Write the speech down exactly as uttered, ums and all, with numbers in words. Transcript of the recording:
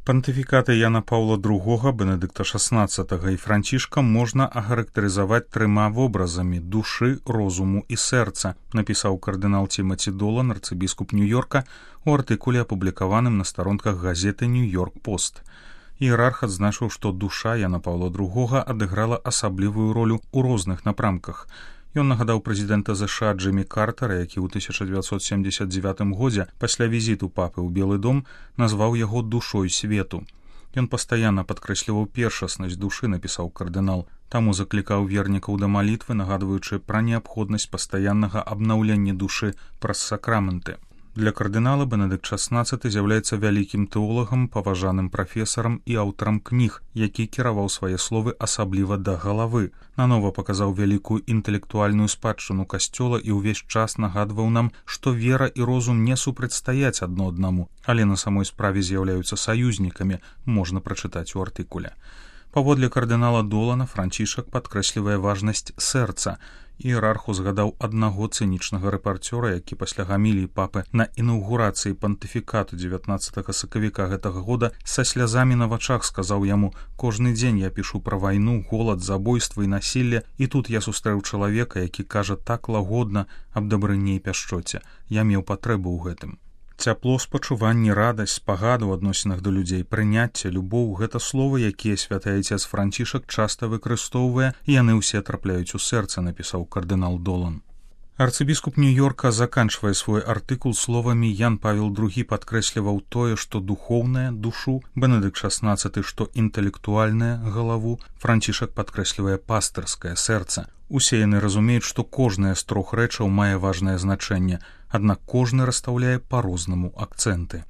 Пантыфікаты Яна Паўла другога, Бенедыкта шаснаццатага і Францішка можна ахарактарызаваць трыма вобразамі душы, розуму і сэрца, напісаў кардынал Тимати Долан, арцыбіскуп Нью-Йорка, у артыкуле, апублікаваным на старонках газеты «Нью-Йорк Пост». Іерарх адзначыў, што душа Яна Паўла другога адыграла асаблівую ролю ў розных напрамках. Ён нагадаў прэзідэнта ЗША Джиммі Картера, які ў тысяча дзевяцьсот семдзесят дзевятым годзе пасля візіту папы ў Белы дом назваў яго душой свету. Ён пастаянна падкрэсліваў першаснасць душы, напісаў кардынал, таму заклікаў вернікаў да малітвы, нагадваючы пра неабходнасць пастаяннага абнаўлення душы праз сакраменты. Для кардынала Бенедыкт шаснаццаты з'яўляецца вялікім тэолагам, паважаным прафесарам і аўтарам кніг, які кіраваў свае словы асабліва да галавы. Нанова паказаў вялікую інтэлектуальную спадчыну касцёла і ўвесь час нагадваў нам, што вера і розум не супрацьстаяць адно аднаму, але на самой справе з'яўляюцца саюзнікамі, можна прачытаць у артыкуле. Паводле кардынала Долана Францішак падкрэслівае важнасць сэрца. Іерарх узгадаў аднаго цынічнага рэпарцёра, які пасля гаміліі папы на інаўгурацыі пантыфікату дзевятнаццатага сакавіка гэтага года са слязамі на вачах сказаў яму: «Кожны дзень я пішу пра вайну, голад, забойства і насілле, і тут я сустрэў чалавека, які кажа так лагодна аб дабрыні і пяшчоце. Я меў патрэбу ў гэтым». Цяпло, спачуванне, радасць, спагаду ў адносінах да людзей, прыняцце, любоў — гэта словы, якія святы айцец Францішак часта выкарыстоўвае, і яны ўсе трапляюць у сэрца, напісаў кардынал Долан. Арцыбіскуп Нью-Йорка заканчвае свой артыкул словамі: Ян Павел другі падкрэсліваў тое, што духоўнае — душу, Бенедыкт шаснаццаты, што інтэлектуальнае — галаву, Францішак падкрэслівае пастырскае сэрца. Усе яны разумеюць, што кожная з трох рэчаў мае важнае значэнне, аднак кожны расстаўляе па-рознаму акцэнты.